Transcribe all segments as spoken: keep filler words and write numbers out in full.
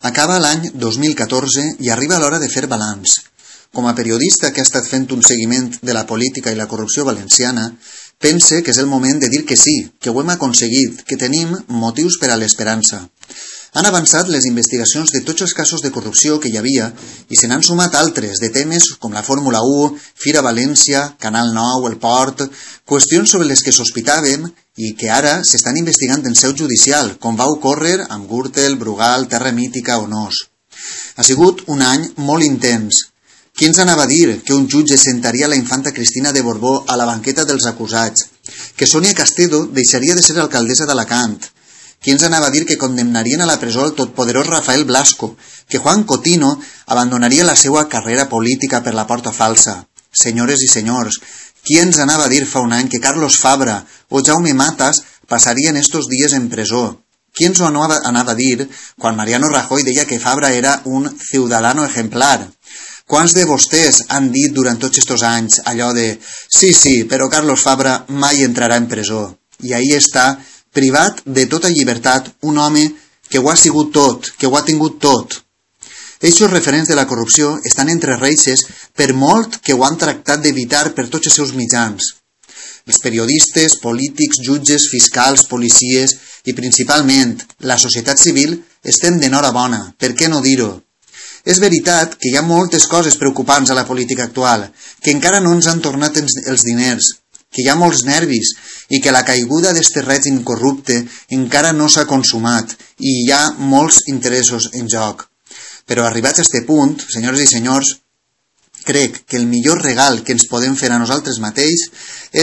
Acaba l'any dos mil catorze i arriba l'hora de fer balanç. Com a periodista que ha estat fent un seguiment de la política i la corrupció valenciana, pense que és el moment de dir que sí, que ho hem aconseguit, que tenim motius per a l'esperança. Han avançat les investigacions de tots els casos de corrupció que hi havia i se n'han sumat altres de temes com la Fórmula u, Fira València, Canal nou, el Port, qüestions sobre les que sospitàvem i que ara s'estan investigant en seu judicial, com va ocórrer amb Gürtel, Brugal, Terra Mítica o Nos. Ha sigut un any molt intens. Qui ens anava a dir que un jutge sentaria la infanta Cristina de Borbó a la banqueta dels acusats? Que Sònia Castedo deixaria de ser alcaldessa d'Alacant? Qui ens anava a dir que condemnarien a la presó el totpoderós Rafael Blasco? Que Juan Cotino abandonaria la seva carrera política per la porta falsa? Senyores i senyors, qui ens anava a dir fa un any que Carlos Fabra o Jaume Matas passarien estos dies en presó? Qui ens ho anava a dir quan Mariano Rajoy deia que Fabra era un ciudadano ejemplar? Quants de vostès han dit durant tots estos anys allò de «Sí, sí, però Carlos Fabra mai entrarà en presó»? I ahí està, privat de tota llibertat, un home que ho ha sigut tot, que ho ha tingut tot. Eixos referents de la corrupció estan entre reixes per molt que ho han tractat d'evitar per tots els seus mitjans. Els periodistes, polítics, jutges, fiscals, policies i principalment la societat civil estem d'enhorabona, per què no dir-ho? És veritat que hi ha moltes coses preocupants a la política actual, que encara no ens han tornat els diners, que hi ha molts nervis i que la caiguda d'este règim corrupte encara no s'ha consumat i hi ha molts interessos en joc. Però arribats a este punt, senyores i senyors, crec que el millor regal que ens podem fer a nosaltres mateix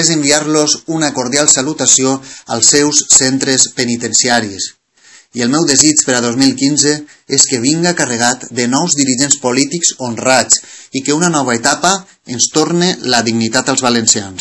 és enviar-los una cordial salutació als seus centres penitenciaris. I el meu desig per a dos mil quinze és que vinga carregat de nous dirigents polítics honrats i que una nova etapa ens torne la dignitat als valencians.